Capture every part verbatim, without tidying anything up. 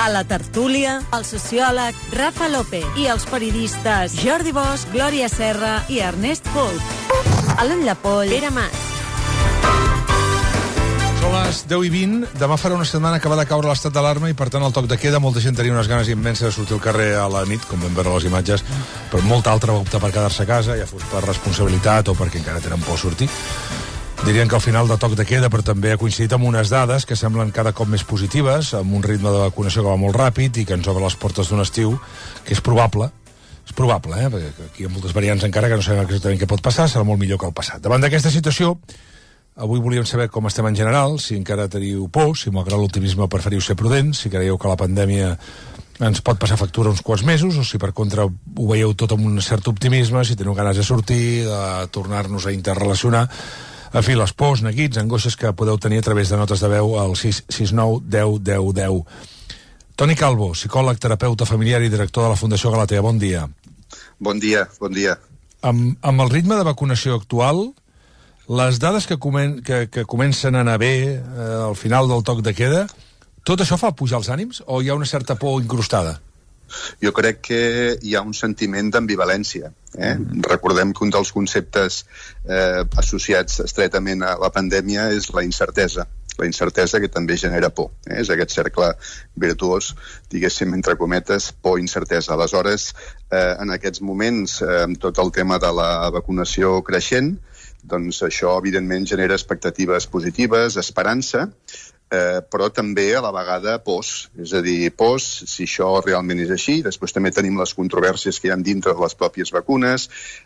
A la tertúlia, el sociòleg Rafa López i els periodistes Jordi Bosch, Glòria Serra i Ernest Folch. Alan Lapoll, Pere Mas. Són les deu i vint. Demà farà una setmana que va de caure l'estat d'alarma i, per tant, el toc de queda. Molta gent tenia unes ganes immenses de sortir al carrer a la nit, com vam veure les imatges, però molta altra va optar per quedar-se a casa, ja fos per responsabilitat o perquè encara tenen por sortir. Dirien que al final de toc de queda, però també ha coincidit amb unes dades que semblen cada cop més positives, amb un ritme de vacunació que va molt ràpid i que ens obre les portes d'un estiu que és probable, és probable, eh? Perquè aquí hi ha moltes variants encara que no sabem exactament què pot passar, serà molt millor que el passat. Davant d'aquesta situació, avui volíem saber com estem en general, si encara teniu por, si malgrat l'optimisme preferiu ser prudents, si creieu que la pandèmia ens pot passar factura uns quants mesos, o si per contra ho veieu tot amb un cert optimisme, si teniu ganes de sortir, de tornar-nos a interrelacionar. En fi, les pors, neguits, angoixes que podeu tenir a través de notes de veu al sis sis nou deu deu deu. Toni Calvo, psicòleg, terapeuta familiar i director de la Fundació Galatea. Bon dia. Bon dia, bon dia. Amb, amb el ritme de vacunació actual, les dades que, comen, que, que comencen a anar bé eh, al final del toc de queda, tot això fa pujar els ànims o hi ha una certa por incrustada? Jo crec que hi ha un sentiment d'ambivalència. Eh? Mm. Recordem que un dels conceptes eh, associats estretament a la pandèmia és la incertesa. La incertesa que també genera por. Eh? És aquest cercle virtuós, diguéssim, entre cometes, por i incertesa. Aleshores, eh, en aquests moments, eh, amb tot el tema de la vacunació creixent, doncs això, evidentment, genera expectatives positives, esperança, Eh, però també a la vegada pors, és a dir, pors si això realment és així. Després també tenim les controvèrsies que hi ha dintre de les pròpies vacunes,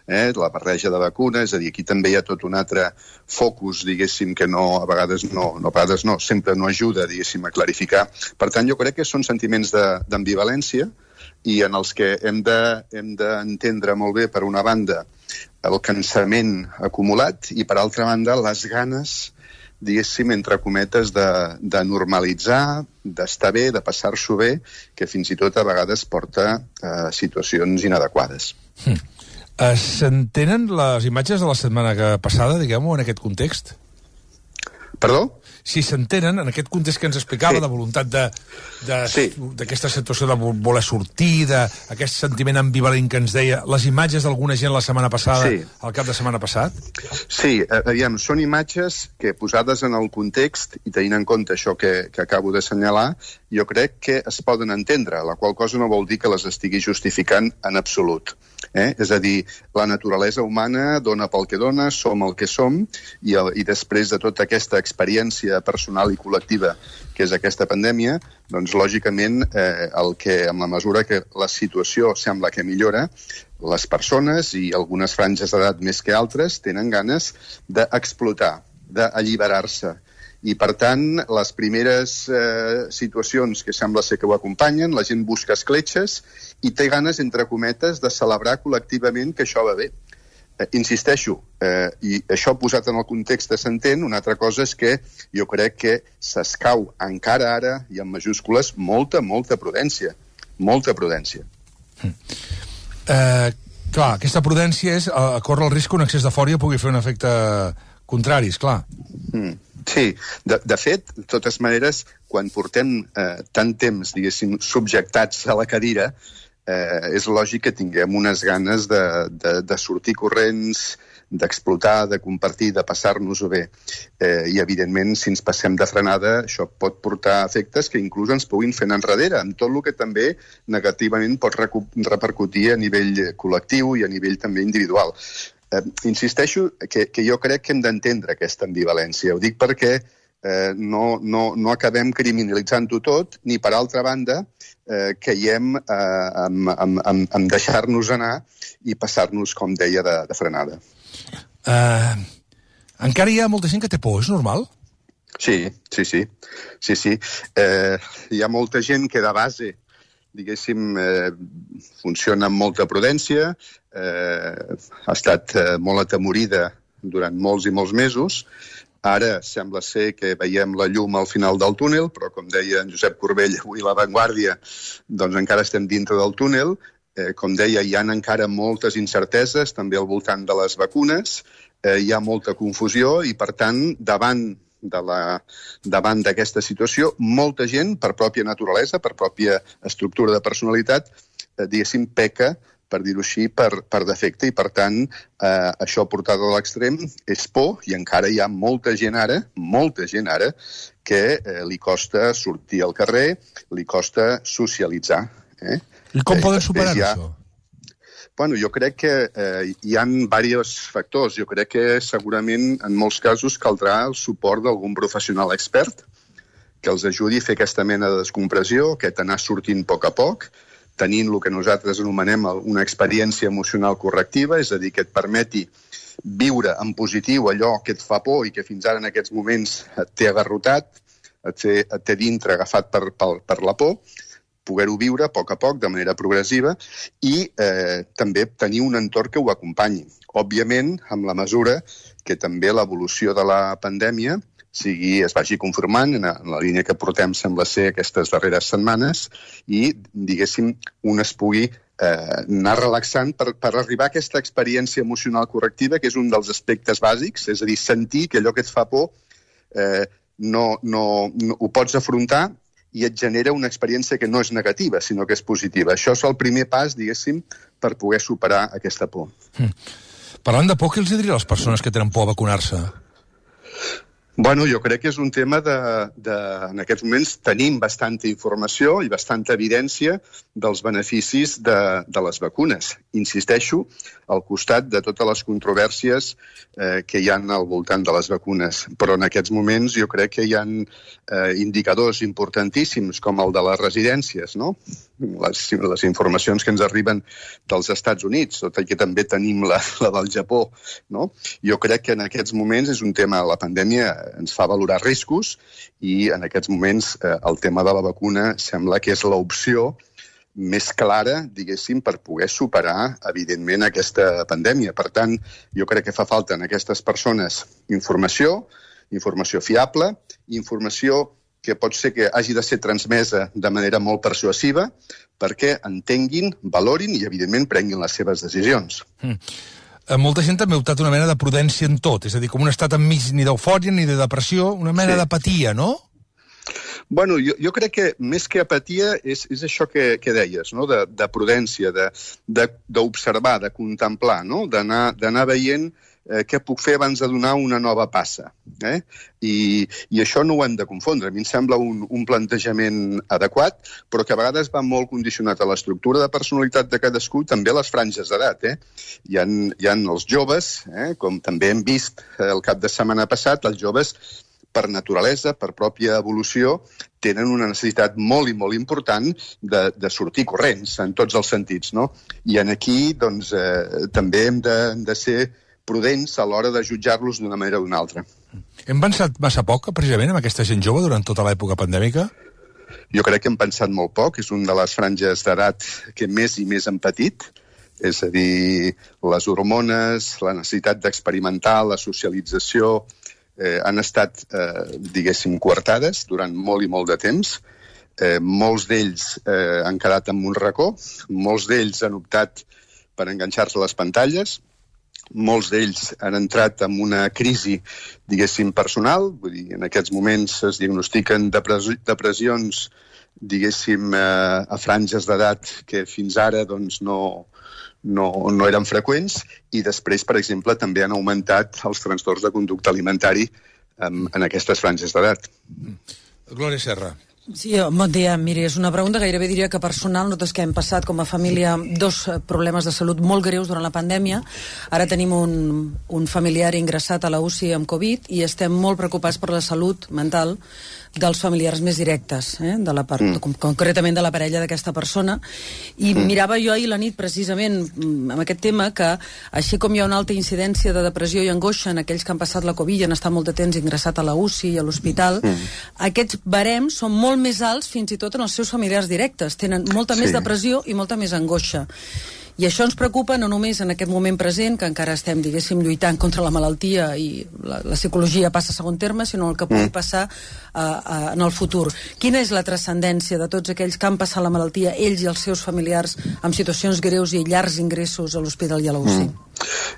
eh, la barreja de vacunes, és a dir, aquí també hi ha tot un altre focus, diguéssim, que no, a vegades no, no a vegades no, sempre no ajuda, diguéssim, a clarificar. Per tant, jo crec que són sentiments d'ambivalència i en els que hem de, hem d'entendre molt bé, per una banda, el cansament acumulat i, per altra banda, les ganes, diguéssim, entre cometes, de, de normalitzar, d'estar bé, de passar-s'ho bé, que fins i tot a vegades porta a situacions inadequades. Hm. Uh, S'entenen les imatges de la setmana passada, diguem-ho, en aquest context? Perdó? Si s'entenen, en aquest context que ens explicava, sí, de voluntat d'aquesta sí. situació de voler sortir, d'aquest sentiment ambivalent que ens deia, les imatges d'alguna gent la setmana passada, sí, al cap de setmana passat? Sí, aviam, són imatges que, posades en el context i tenint en compte això que, que acabo d'assenyalar, jo crec que es poden entendre, la qual cosa no vol dir que les estigui justificant en absolut. Eh? És a dir, la naturalesa humana dona pel que dona, som el que som, i, el, i després de tota aquesta experiència personal i col·lectiva que és aquesta pandèmia, doncs lògicament eh, el que, en la mesura que la situació sembla que millora, les persones i algunes franges d'edat més que altres tenen ganes d'explotar, d'alliberar-se. I, per tant, les primeres eh, situacions que sembla ser que ho acompanyen, la gent busca escletxes i té ganes, entre cometes, de celebrar col·lectivament que això va bé. Eh, insisteixo, eh, i això posat en el context s'entén, una altra cosa és que jo crec que s'escau encara ara, i en majúscules, molta, molta prudència. Molta prudència. Mm. Eh, clar, aquesta prudència és a, a córrer el risc que un excés d'eufòria pugui fer un efecte contrari, esclar. Mm. Sí, de, de fet, de totes maneres, quan portem eh, tant temps, diguéssim, subjectats a la cadira, eh, és lògic que tinguem unes ganes de, de, de sortir corrents, d'explotar, de compartir, de passar-nos-ho bé. Eh, I, evidentment, si ens passem de frenada, això pot portar efectes que inclús ens puguin fer enrere, amb tot el que també negativament pot repercutir a nivell col·lectiu i a nivell també individual. Eh, insisteixo que, que jo crec que hem d'entendre aquesta ambivalència. Ho dic perquè eh, no, no, no acabem criminalitzant-ho tot, ni per altra banda eh, caiem eh, amb, amb, amb, amb deixar-nos anar i passar-nos, com deia, de, de frenada. Uh, encara hi ha molta gent que té por, és normal? Sí, sí, sí. sí, sí. Eh, hi ha molta gent que de base, diguéssim, eh, funciona amb molta prudència, eh, ha estat eh, molt atemorida durant molts i molts mesos. Ara sembla ser que veiem la llum al final del túnel, però com deia en Josep Corbell avui a La Vanguardia, doncs encara estem dintre del túnel. Eh, com deia, hi ha encara moltes incerteses, també al voltant de les vacunes, eh, hi ha molta confusió i, per tant, davant de la, davant d'aquesta situació, molta gent, per pròpia naturalesa, per pròpia estructura de personalitat, eh, diguéssim, peca, per dir-ho així, per, per defecte, i per tant eh, això portat a l'extrem és por, i encara hi ha molta gent ara, molta gent ara, que eh, li costa sortir al carrer, li costa socialitzar. Eh? I com eh, poden superar ha... això? Bueno, jo crec que eh, hi ha diversos factors. Jo crec que segurament en molts casos caldrà el suport d'algun professional expert que els ajudi a fer aquesta mena de descompressió, aquest anar sortint a poc a poc, tenint el que nosaltres anomenem una experiència emocional correctiva, és a dir, que et permeti viure en positiu allò que et fa por i que fins ara en aquests moments et té agarrotat, et té, et té dintre agafat per, per, per la por, poder-ho viure a poc a poc, de manera progressiva, i eh, també tenir un entorn que ho acompanyi. Òbviament, amb la mesura que també l'evolució de la pandèmia sigui, es vagi conformant en la línia que portem, sembla ser, aquestes darreres setmanes, i, diguéssim, un es pugui eh, anar relaxant per, per arribar a aquesta experiència emocional correctiva, que és un dels aspectes bàsics, és a dir, sentir que allò que et fa por eh, no, no, no ho pots afrontar i et genera una experiència que no és negativa, sinó que és positiva. Això és el primer pas, diguéssim, per poder superar aquesta por. Mm. Parlant de por, què els diria a les persones que tenen por a vacunar-se? Bueno, jo crec que és un tema de, de... En aquests moments tenim bastanta informació i bastanta evidència dels beneficis de, de les vacunes. Insisteixo, al costat de totes les controvèrsies eh, que hi ha al voltant de les vacunes. Però en aquests moments jo crec que hi ha eh, indicadors importantíssims, com el de les residències, no? Les, les informacions que ens arriben dels Estats Units, tot i que també tenim la, la del Japó, no? Jo crec que en aquests moments és un tema, la pandèmia ens fa valorar riscos, i en aquests moments eh, el tema de la vacuna sembla que és l'opció més clara, diguéssim, per poder superar, evidentment, aquesta pandèmia. Per tant, jo crec que fa falta en aquestes persones informació, informació fiable, informació que pot ser que hagi de ser transmesa de manera molt persuasiva perquè entenguin, valorin i, evidentment, prenguin les seves decisions. Mm. Molta gent també ha optat una mena de prudència en tot, és a dir, com un estat enmig ni d'eufòria ni de depressió, una mena sí. d'apatia, no? Bueno, jo, jo crec que més que apatia és, és això que, que deies, no? de, de prudència, d'observar, de, de, de contemplar, no? d'anar veient eh, què puc fer abans de donar una nova passa. Eh? I, I això no ho hem de confondre. A mi em sembla un, un plantejament adequat, però que a vegades va molt condicionat a l'estructura de personalitat de cadascú, també a les franges d'edat. Eh? Hi ha, hi ha els joves, eh? com també hem vist el cap de setmana passat, els joves per naturalesa, per pròpia evolució, tenen una necessitat molt i molt important de, de sortir corrents, en tots els sentits, no? I en aquí, doncs, eh, també hem de, de ser prudents a l'hora de jutjar-los d'una manera o d'una altra. Hem pensat massa poc, precisament, en aquesta gent jove durant tota l'època pandèmica? Jo crec que hem pensat molt poc, és una de les franges d'edat que més i més han patit, és a dir, les hormones, la necessitat d'experimentar, la socialització, Eh, han estat, eh, diguéssim, coartades durant molt i molt de temps. Eh, molts d'ells eh, han quedat en un racó, molts d'ells han optat per enganxar-se a les pantalles, molts d'ells han entrat en una crisi, diguéssim, personal, vull dir, en aquests moments es diagnostiquen depres depressions, diguéssim, eh, a franges d'edat que fins ara, doncs, no... No, no eren freqüents, i després, per exemple, també han augmentat els trastorns de conducta alimentari en, en aquestes franges d'edat. Glòria Serra. Sí, bon dia. Miri, és una pregunta gairebé diria que personal. Nosaltres que hem passat com a família dos problemes de salut molt greus durant la pandèmia. Ara tenim un, un familiar ingressat a la U C I amb Covid i estem molt preocupats per la salut mental dels familiars més directes, eh? de la part, mm. concretament de la parella d'aquesta persona. I mm. mirava jo ahir la nit, precisament, amb aquest tema, que així com hi ha una alta incidència de depressió i angoixa en aquells que han passat la Covid i han estat molt de temps ingressat a la U C I i a l'hospital, mm. aquests barems són molt més alts fins i tot en els seus familiars directes. Tenen molta sí. més depressió i molta més angoixa. I això ens preocupa no només en aquest moment present, que encara estem, diguéssim, lluitant contra la malaltia i la, la psicologia passa a segon terme, sinó el que pugui passar uh, uh, en el futur. Quina és la transcendència de tots aquells que han passat la malaltia, ells i els seus familiars, amb situacions greus i llargs ingressos a l'hospital i a la U C I? Mm.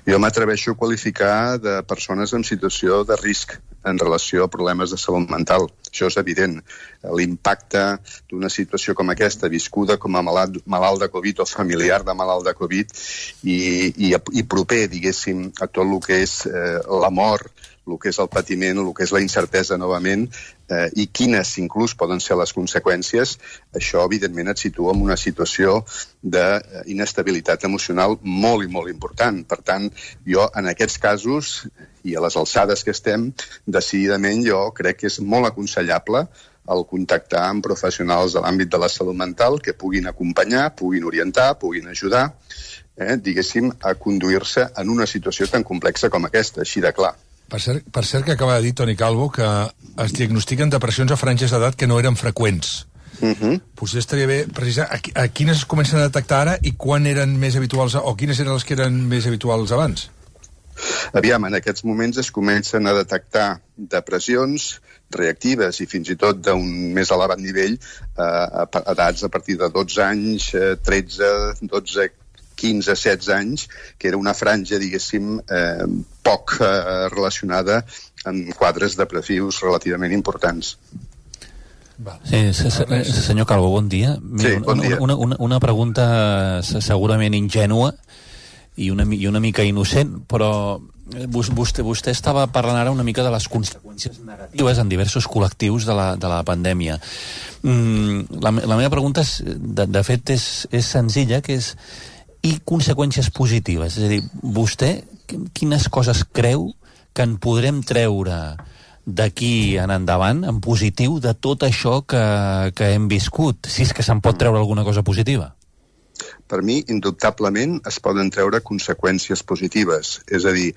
Jo m'atreveixo a qualificar de persones en situació de risc en relació a problemes de salut mental. Això és evident. L'impacte d'una situació com aquesta, viscuda com a malalt, malalt de Covid o familiar de malalt de Covid i, i, i proper, diguéssim, a tot el que és eh, la mort, el que és el patiment, el que és la incertesa novament, eh, i quines inclús poden ser les conseqüències, això evidentment et situa en una situació d'inestabilitat emocional molt i molt important. Per tant, jo en aquests casos, i a les alçades que estem, decididament jo crec que és molt aconsellable el contactar amb professionals de l'àmbit de la salut mental que puguin acompanyar, puguin orientar, puguin ajudar, eh, diguéssim, a conduir-se en una situació tan complexa com aquesta, així de clar. Per cert, per cert que acaba de dir Toni Calvo que es diagnostiquen depressions a franges d'edat que no eren freqüents. Uh-huh. Potser estaria bé precisar a, a quines es comencen a detectar ara i quan eren més habituals, o quines eren les que eren més habituals abans? Aviam, en aquests moments es comencen a detectar depressions reactives i fins i tot d'un més elevat nivell eh, a edats a partir de dotze anys, eh, tretze, dotze, quinze, setze anys, que era una franja, diguéssim, eh, poc eh, relacionada amb quadres depressius relativament importants. Sí, senyor Calvo, bon dia. Sí, bon dia. Una, una, una pregunta segurament ingènua i una, i una mica innocent, però vostè, vostè estava parlant ara una mica de les conseqüències negatives en diversos col·lectius de la, de la pandèmia. Mm, la, la meva pregunta, és, de, de fet, és, és senzilla, que és i conseqüències positives? És a dir, vostè quines coses creu que en podrem treure d'aquí en endavant, en positiu, de tot això que, que hem viscut, si és que se'n pot treure alguna cosa positiva? Per mi, indubtablement, es poden treure conseqüències positives. És a dir,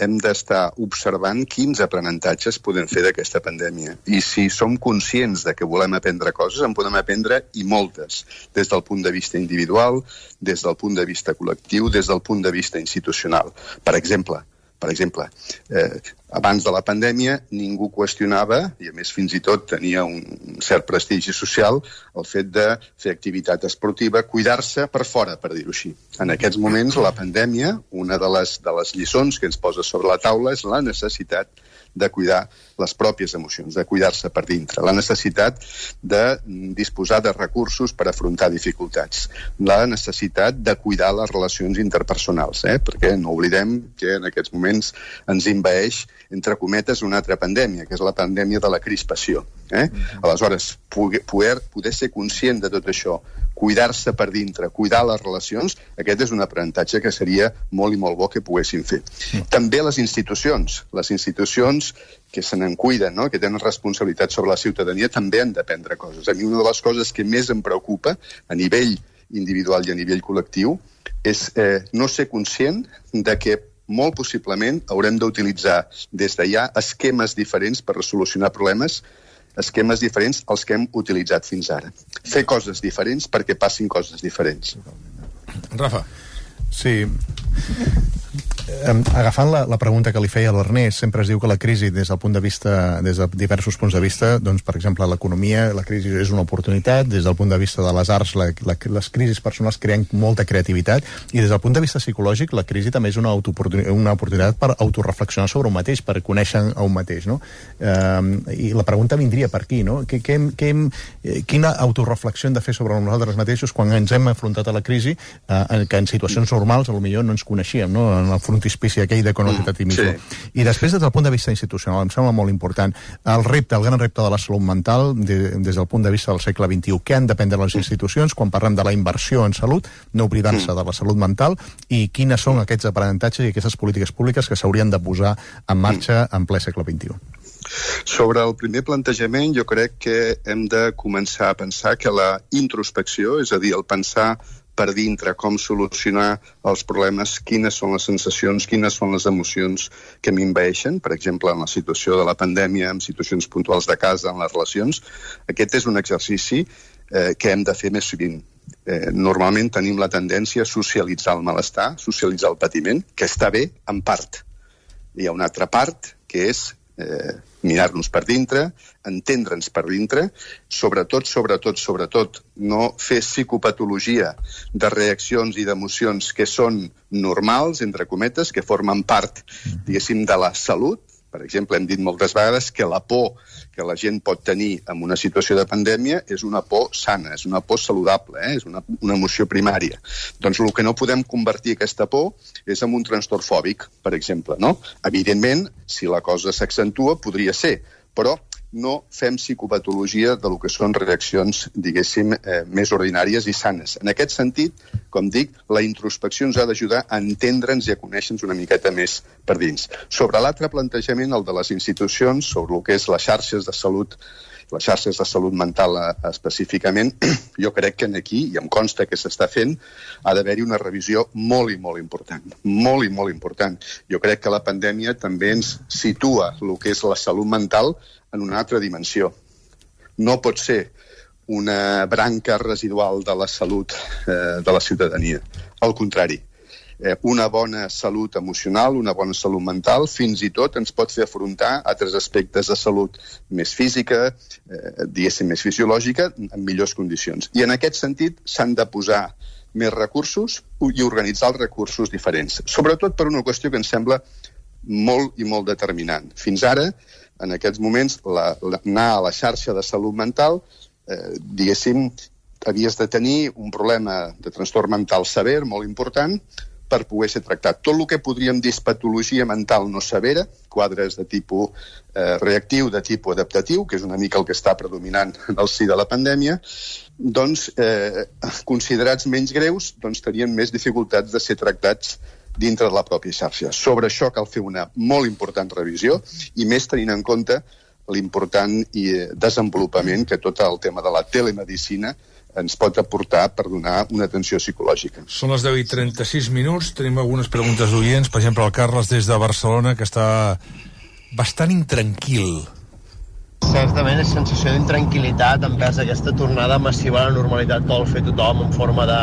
hem d'estar observant quins aprenentatges podem fer d'aquesta pandèmia. I si som conscients de que volem aprendre coses, en podem aprendre i moltes, des del punt de vista individual, des del punt de vista col·lectiu, des del punt de vista institucional. Per exemple, per exemple, eh, abans de la pandèmia ningú qüestionava, i a més fins i tot tenia un cert prestigi social, el fet de fer activitat esportiva, cuidar-se per fora, per dir-ho així. En aquests moments, la pandèmia, una de les, de les lliçons que ens posa sobre la taula és la necessitat de cuidar les pròpies emocions, de cuidar-se per dintre, la necessitat de disposar de recursos per afrontar dificultats, la necessitat de cuidar les relacions interpersonals, eh? Perquè no oblidem que en aquests moments ens envaeix, entre cometes, una altra pandèmia, que és la pandèmia de la crispació. Eh? Aleshores, poder, poder ser conscient de tot això, cuidar-se per dintre, cuidar les relacions, aquest és un aprenentatge que seria molt i molt bo que poguéssim fer. Sí. També les institucions, les institucions que se n'en cuiden, no? Que tenen responsabilitat sobre la ciutadania, també han d'aprendre coses. A mi una de les coses que més em preocupa a nivell individual i a nivell col·lectiu és eh, no ser conscient de que molt possiblement haurem d'utilitzar des de ja esquemes diferents per solucionar problemes, esquemes diferents als que hem utilitzat fins ara. Fer coses diferents perquè passin coses diferents. Rafa. Sí. Agafant la, la pregunta que li feia l'Ernest, sempre es diu que la crisi des del punt de vista, des de diversos punts de vista, doncs per exemple l'economia, la crisi és una oportunitat, des del punt de vista de les arts, la, la, les crisis personals creen molta creativitat, i des del punt de vista psicològic la crisi també és una, una oportunitat per autoreflexionar sobre un mateix, per conèixer a un mateix, no? Eh, i la pregunta vindria per aquí, no? Que, que, que, quina autoreflexió hem de fer sobre nosaltres mateixos quan ens hem afrontat a la crisi, eh, que en situacions normals potser no ens coneixíem, no? En el frontispici aquell de conòcete a ti mismo. Sí. I després, des del punt de vista institucional, em sembla molt important, el repte, el gran repte de la salut mental, de, des del punt de vista del segle vint-i-u, què han d'aprendre les institucions quan parlem de la inversió en salut, no oblidant-se de la salut mental, i quines són aquests aprenentatges i aquestes polítiques públiques que s'haurien de posar en marxa en ple segle vint-i-u. Sobre el primer plantejament, jo crec que hem de començar a pensar que la introspecció, és a dir, el pensar per dintre com solucionar els problemes, quines són les sensacions, quines són les emocions que m'envaeixen, per exemple, en la situació de la pandèmia, en situacions puntuals de casa, en les relacions. Aquest és un exercici eh, que hem de fer més sovint. Eh, normalment tenim la tendència a socialitzar el malestar, socialitzar el patiment, que està bé en part. Hi ha una altra part que és eh, mirar-nos per dintre, entendre'ns per dintre, sobretot, sobretot, sobretot, no fer psicopatologia de reaccions i d'emocions que són normals, entre cometes, que formen part, diguéssim, de la salut. Per exemple, hem dit moltes vegades que la por que la gent pot tenir en una situació de pandèmia és una por sana, és una por saludable, eh? És una, una emoció primària. Doncs el que no podem convertir aquesta por és en un trastorn fòbic, per exemple, no? Evidentment, si la cosa s'accentua, podria ser, però no fem psicopatologia de lo que són reaccions, diguéssim, eh, més ordinàries i sanes. En aquest sentit, com dic, la introspecció ens ha d'ajudar a entendre'ns i a conèixer-nos una miqueta més per dins. Sobre l'altre plantejament, el de les institucions, sobre el que és les xarxes de salut, les xarxes de salut mental eh, específicament, jo crec que aquí, i em consta que s'està fent, ha d'haver-hi una revisió molt i molt important. Molt i molt important. Jo crec que la pandèmia també ens situa el que és la salut mental en una altra dimensió. No pot ser una branca residual de la salut eh, de la ciutadania. Al contrari, eh, una bona salut emocional, una bona salut mental, fins i tot ens pot fer afrontar altres aspectes de salut més física, eh, diguéssim, més fisiològica, en millors condicions. I en aquest sentit s'han de posar més recursos i organitzar els recursos diferents. Sobretot per una qüestió que ens sembla molt i molt determinant. Fins ara, en aquests moments, la, la, anar a la xarxa de salut mental, eh, diguéssim, havies de tenir un problema de trastorn mental sever, molt important, per poder ser tractat. Tot el que podríem dir patologia mental no severa, quadres de tipus eh, reactiu, de tipus adaptatiu, que és una mica el que està predominant en el si de la pandèmia, doncs, eh, considerats menys greus, doncs tenien més dificultats de ser tractats dintre de la pròpia xarxa. Sobre això cal fer una molt important revisió i més tenint en compte l'important desenvolupament que tot el tema de la telemedicina ens pot aportar per donar una atenció psicològica. Són les deu i trenta-sis minuts, tenim algunes preguntes d'oients, per exemple el Carles des de Barcelona, que està bastant intranquil. Certament és sensació d'intranquil·litat envers aquesta tornada massiva a la normalitat que vol fer tothom en forma de,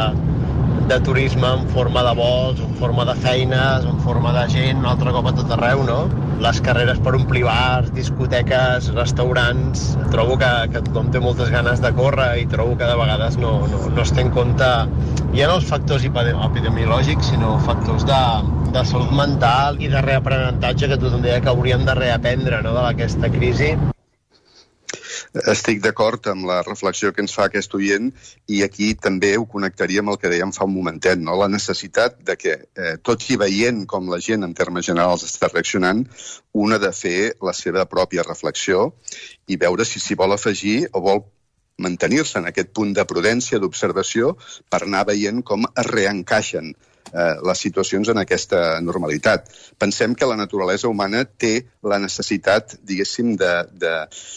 de turisme, en forma de vols, en forma de feines, en forma de gent, un altre cop a tot arreu, no? Les carreres per omplir bars, discoteques, restaurants. Trobo que, que tothom té moltes ganes de córrer i trobo que de vegades no, no, no es té en compte ja no els factors epidemiològics, sinó factors de, de salut mental i de reaprenentatge que tothom deia que hauríem de reaprendre, no?, d'aquesta crisi. Estic d'acord amb la reflexió que ens fa aquest oient i aquí també ho connectaria amb el que dèiem fa un momentet, no? La necessitat de que, eh, tot i veient com la gent en termes generals està reaccionant, una de fer la seva pròpia reflexió i veure si s'hi vol afegir o vol mantenir-se en aquest punt de prudència, d'observació, per anar veient com es reencaixen eh, les situacions en aquesta normalitat. Pensem que la naturalesa humana té la necessitat, diguéssim, de, de,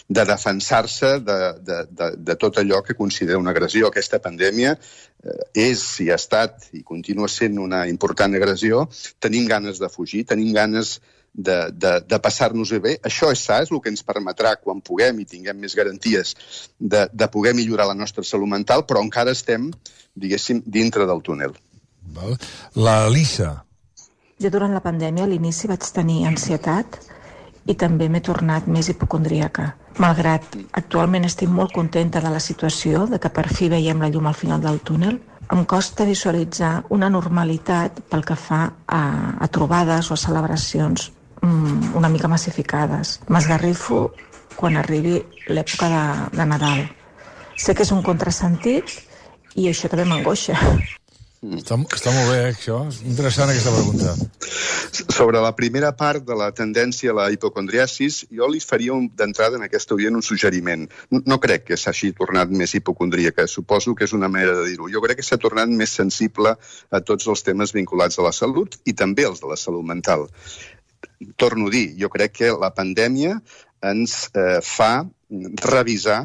de defensar-se de, de, de, de tot allò que considera una agressió. Aquesta pandèmia eh, és i ha estat i continua sent una important agressió. Tenim ganes de fugir, tenim ganes de, de, de passar-nos-ho bé. Això és sa, és el que ens permetrà, quan puguem i tinguem més garanties, de, de poder millorar la nostra salut mental, però encara estem, diguéssim, dintre del túnel. Val. La Lisa. Jo durant la pandèmia a l'inici vaig tenir ansietat i també m'he tornat més hipocondríaca. Malgrat actualment estic molt contenta de la situació, de que per fi veiem la llum al final del túnel, em costa visualitzar una normalitat pel que fa a, a trobades o a celebracions mm, una mica massificades. M'esgarrifo quan arribi l'època de, de Nadal. Sé que és un contrasentit i això també m'angoixa. Està, està molt bé, eh, això. És interessant, aquesta pregunta. Sobre la primera part de la tendència a la hipocondriasis, jo li faria un, d'entrada en aquesta oient un suggeriment. No, no crec que s'hagi tornat més hipocondríaca, suposo que és una manera de dir-ho. Jo crec que s'ha tornat més sensible a tots els temes vinculats a la salut i també els de la salut mental. Torno a dir, jo crec que la pandèmia ens eh, fa revisar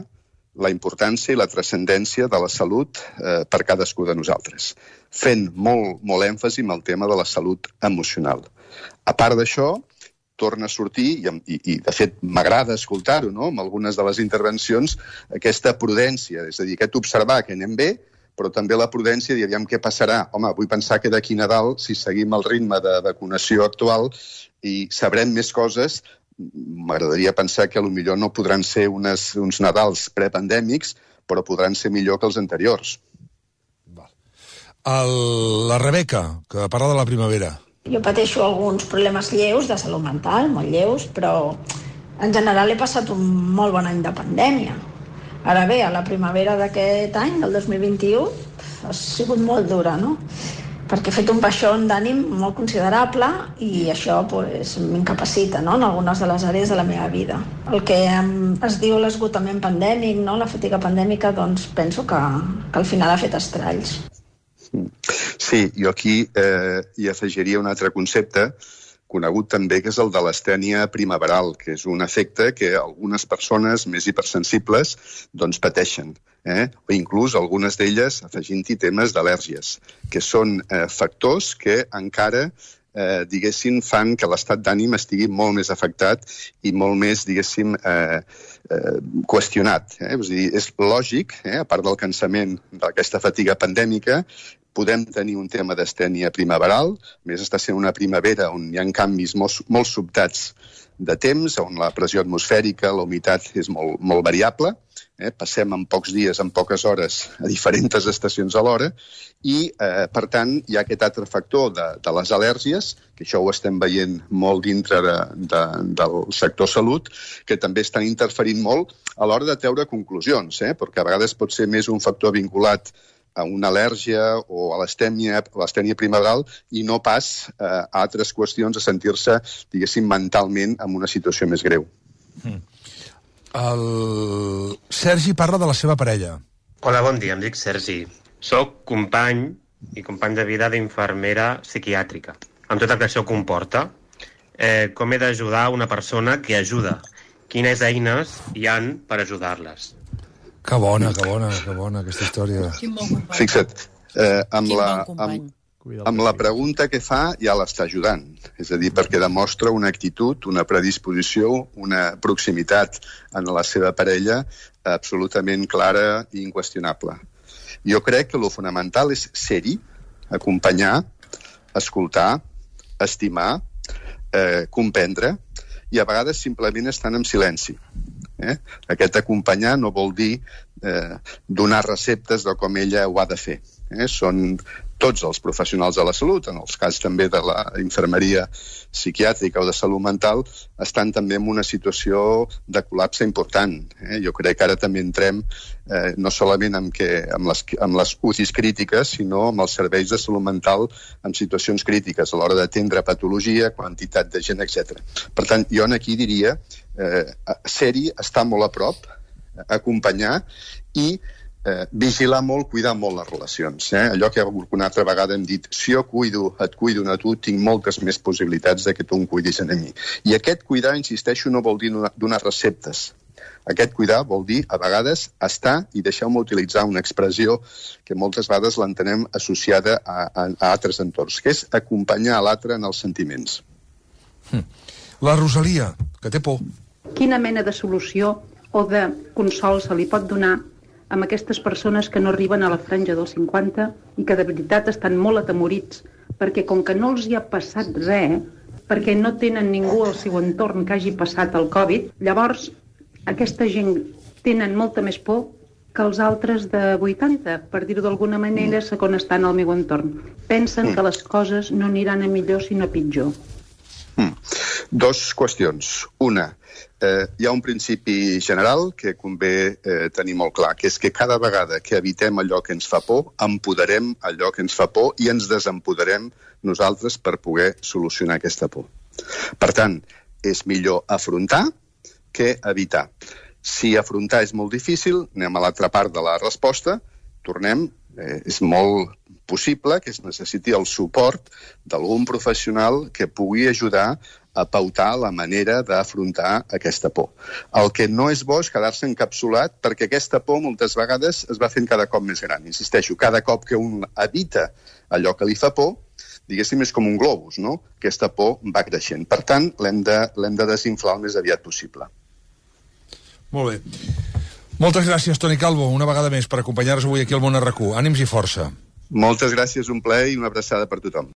la importància i la transcendència de la salut eh, per cadascú de nosaltres, fent molt, molt èmfasi en el tema de la salut emocional. A part d'això, torna a sortir, i, i, i de fet m'agrada escoltar-ho, no?, amb algunes de les intervencions, aquesta prudència, és a dir, aquest observar que anem bé, però també la prudència de dir, aviam què passarà. Home, vull pensar que d'aquí Nadal, si seguim el ritme de vacunació actual i sabrem més coses, m'agradaria pensar que potser no podran ser unes, uns Nadals prepandèmics, però podran ser millor que els anteriors. El, la Rebeca, que parla de la primavera. Jo pateixo alguns problemes lleus de salut mental, molt lleus, però en general he passat un molt bon any de pandèmia. Ara bé, a la primavera d'aquest any, del dos mil vint-i-u, ha sigut molt dura, no? Perquè he fet un baixón d'ànim molt considerable i això pues, m'incapacita, no?, en algunes de les àrees de la meva vida. El que es diu l'esgotament pandèmic, no?, la fatiga pandèmica, doncs penso que, que al final ha fet estralls. Sí, jo aquí eh, hi afegiria un altre concepte conegut també, que és el de l'astènia primaveral, que és un efecte que algunes persones més hipersensibles doncs, pateixen, eh? o inclús algunes d'elles afegint-hi temes d'al·lèrgies, que són eh, factors que encara eh, diguéssim, fan que l'estat d'ànim estigui molt més afectat i molt més, diguéssim, eh, eh, qüestionat. Eh? És, dir, és lògic, eh, a part del cansament d'aquesta fatiga pandèmica, podem tenir un tema d'astènia primaveral, més està sent una primavera on hi ha canvis molt, molt sobtats de temps, on la pressió atmosfèrica, la humitat és molt, molt variable, eh? passem en pocs dies, en poques hores, a diferents estacions alhora, i, eh, per tant, hi ha aquest altre factor de, de les al·lèrgies, que això ho estem veient molt dintre de, de, del sector salut, que també estan interferint molt a l'hora de treure conclusions, eh? perquè a vegades pot ser més un factor vinculat a una al·lèrgia o a l'astènia, l'astènia primaveral i no pas eh, a altres qüestions, a sentir-se, diguéssim, mentalment en una situació més greu. Mm. El Sergi parla de la seva parella. Hola, bon dia, em dic Sergi. Soc company i company de vida d'infermera psiquiàtrica. Amb tot el que això comporta, eh, com he d'ajudar una persona que ajuda? Quines eines hi han per ajudar-les? Que bona, que bona, que bona aquesta història. Bon Fixa't, eh, amb, la, bon amb, amb la pregunta que fa ja l'està ajudant. És a dir, perquè demostra una actitud, una predisposició, una proximitat en la seva parella absolutament clara i inqüestionable. Jo crec que el fonamental és ser-hi, acompanyar, escoltar, estimar, eh, comprendre i a vegades simplement estan en silenci. Eh? Aquest acompanyar no vol dir eh, donar receptes de com ella ho ha de fer. Eh? Són tots els professionals de la salut, en els cas també de la infermeria psiquiàtrica o de salut mental, estan també en una situació de col·lapse important. Eh? Jo crec que ara també entrem eh, no solament amb, que, amb, les, amb les U C Is crítiques, sinó amb els serveis de salut mental en situacions crítiques, a l'hora d'atendre patologia, quantitat de gent, etcètera. Per tant, jo aquí diria eh, ser-hi, estar molt a prop, acompanyar i eh, vigilar molt, cuidar molt les relacions. Eh? Allò que una altra vegada hem dit, si jo cuido, et cuido a tu, tinc moltes més possibilitats de que tu em cuidis a mi. I aquest cuidar, insisteixo, no vol dir donar receptes. Aquest cuidar vol dir, a vegades, estar, i deixeu-me utilitzar una expressió que moltes vegades l'entenem associada a, a, a altres entorns, que és acompanyar l'altre en els sentiments. La Rosalia, que té por. Quina mena de solució o de consol se li pot donar amb aquestes persones que no arriben a la franja dels cinquanta i que de veritat estan molt atemorits perquè com que no els hi ha passat res, perquè no tenen ningú al seu entorn que hagi passat el Covid, llavors aquesta gent tenen molta més por que els altres de vuitanta, per dir-ho d'alguna manera, segons estan al meu entorn. Pensen que les coses no aniran a millor sinó a pitjor. Mm. Dos qüestions. Una, eh, hi ha un principi general que convé eh, tenir molt clar, que és que cada vegada que evitem allò que ens fa por, empoderem allò que ens fa por i ens desempoderem nosaltres per poder solucionar aquesta por. Per tant, és millor afrontar que evitar. Si afrontar és molt difícil, anem a l'altra part de la resposta, tornem, eh, és molt possible que es necessiti el suport d'algun professional que pugui ajudar a pautar la manera d'afrontar aquesta por. El que no és bo és quedar-se encapsulat perquè aquesta por moltes vegades es va fent cada cop més gran. Insisteixo, cada cop que un evita allò que li fa por, diguéssim, és com un globus, no? Aquesta por va creixent. Per tant, l'hem de, l'hem de desinflar el més aviat possible. Molt bé. Moltes gràcies, Toni Calvo, una vegada més per acompanyar-nos avui aquí al Món R Q. Ànims i força. Moltes gràcies, un plaer i una abraçada per tothom.